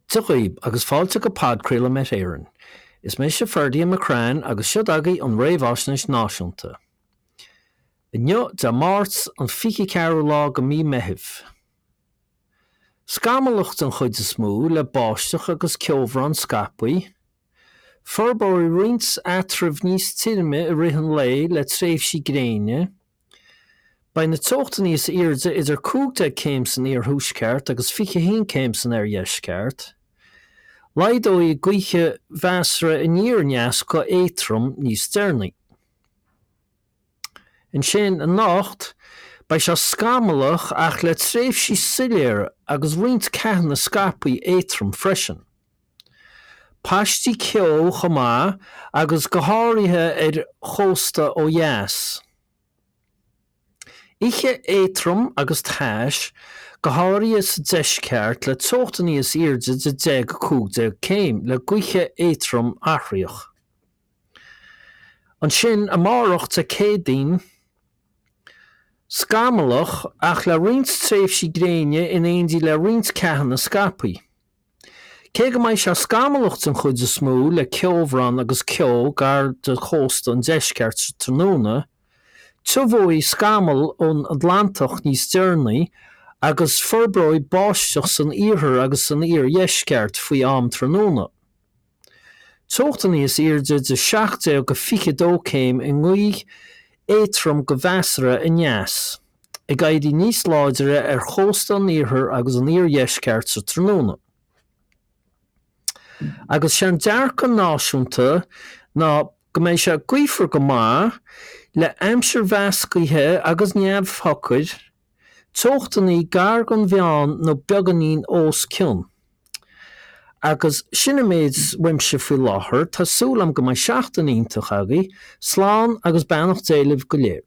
Dia dhaoib agus fáilte go podchraoladh Met Éireann. Is mise Ferdia McCrann agus seo agaibh an Réamhaisnéis Náisiúnta. Inniu, Dé Máirt, an 24ú lá go mí Meithimh. Scamallach den chuid is mó, le báisteach agus ceobhrán scaipthe. Forbróidh roinnt eatraimh níos tirime i rith an lae le tréimhsí gréine. Beidh na teochtanna is airde idir 15 céim san iarthuaisceart agus 21 céim san oirdheisceart. Laghdóidh gaoth mheasartha aniar aneas go éadtrom níos deireanaí. Ansin anocht, beidh sé scamallach ach le tréimhsí soiléire agus roinnt ceathanna scaipthe éadtrom freisin. Paistí ceo chomh maith agus go háirithe ar chósta ó dheas. Oíche éadtrom agus tais, go háirithe sa deisceart, le teochtanna is airde de 10 go 15 céim, le gaoth éadtrom athraitheach. Ansin amárach Dé Céadaoin, scamallach ach le roinnt tréimhsí gréine in éindí le roinnt ceathanna scaipthe. Cé go mbeidh sé scamallach den chuid is mó le ceobhrán agus ceo gar do chósta an deiscirt sa tráthnóna, tiubhóidh scamaill ón Atlantach níos deireanaí agus forbróidh báisteach san iarthar agus san iardheisceart faoi am tráthnóna. Teochtanna is airde de 17 go 22 céim i ngaoth éadtrom go mheasartha aneas, ag éirí níos láidre ar chósta an iarthair agus an iardheisceart sa tráthnóna. Agus sé an dearcadh náisiúnta ná go mbeidh sé gaofar go maith, le aimsir mheascaithe agus neamhshocair, teochtanna gar don mheán nó beagáinín os cionn. Agus sin an méid uaimse faoi láthair, tá súil agam go mbeidh seachtain iontach agaibh, slán agus beannacht Dé libh go léir.